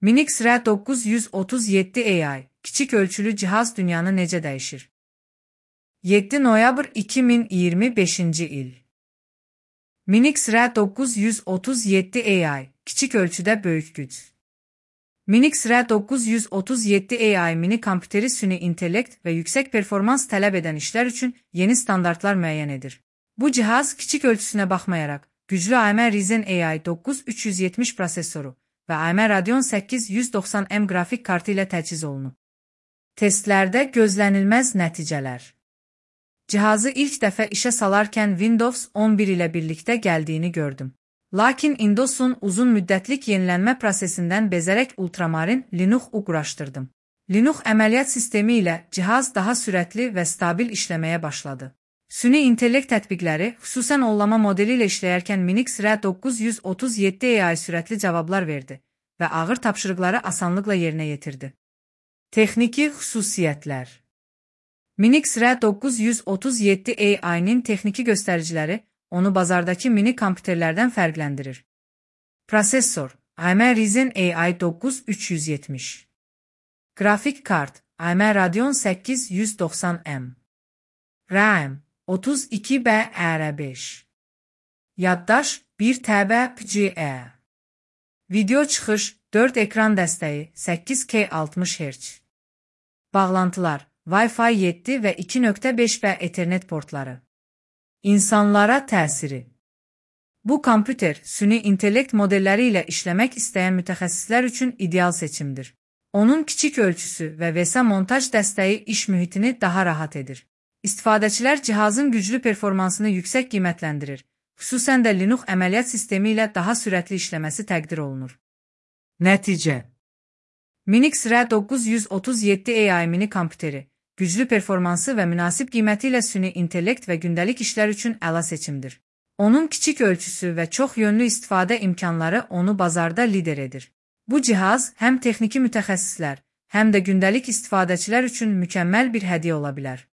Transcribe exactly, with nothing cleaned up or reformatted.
Minix R dokuz yüz otuz yeddi A I, kiçik ölçülü cihaz dünyanı necə dəyişir? yeddi noyabr iki min iyirmi beşinci il. Minix R dokuz yüz otuz yeddi A I, kiçik ölçüdə böyük güc. Minix R dokuz yüz otuz yeddi A I mini kompüteri süni intellekt və yüksək performans tələb edən işlər üçün yeni standartlar müəyyən edir. Bu cihaz kiçik ölçüsünə baxmayaraq, güclü A M D Ryzen A I dokuz üç yüz yetmiş prosesoru və A M D Radeon səkkiz yüz doxsan M qrafik kartı ilə təchiz olunub. Testlərdə gözlənilməz nəticələr. Cihazı ilk dəfə işə salarkən Windows on bir ilə birlikdə gəldiyini gördüm. Lakin Windows'un uzun müddətlik yenilənmə prosesindən bezərək Ultramarin Linux-u quraşdırdım. Linux əməliyyat sistemi ilə cihaz daha sürətli və stabil işləməyə başladı. Süni intellekt tətbiqləri, xüsusən ollama modeli ilə işləyərkən Minix R dokuz yüz otuz yeddi A I sürətli cavablar verdi və ağır tapşırıqları asanlıqla yerinə yetirdi. Texniki xüsusiyyətlər. Minix R dokuz yüz otuz yeddi A I-nin texniki göstəriciləri onu bazardakı mini kompüterlərdən fərqləndirir. Prosesor A M D Ryzen A I dokuz üç yüz yetmiş. Qrafik kart A M D Radeon səkkiz yüz doxsan M. RAM otuz iki B R beş. Yaddaş bir T B P C E. Video çıxış dörd ekran dəstəyi səkkiz K altmış Hz. Bağlantılar Wi-Fi yeddi və iki nöqtə beş B Ethernet portları. İnsanlara təsiri. Bu kompüter süni intellekt modelləri ilə işləmək istəyən mütəxəssislər üçün ideal seçimdir. Onun kiçik ölçüsü və V S montaj dəstəyi iş mühitini daha rahat edir. İstifadəçilər cihazın güclü performansını yüksək qiymətləndirir, xüsusən də Linux əməliyyat sistemi ilə daha sürətli işləməsi təqdir olunur. Nəticə. Minix R dokuz yüz otuz yeddi A I mini kompüteri, güclü performansı və münasib qiyməti ilə süni intellekt və gündəlik işlər üçün əla seçimdir. Onun kiçik ölçüsü və çox yönlü istifadə imkanları onu bazarda lider edir. Bu cihaz həm texniki mütəxəssislər, həm də gündəlik istifadəçilər üçün mükəmməl bir hədiyyə ola bilər.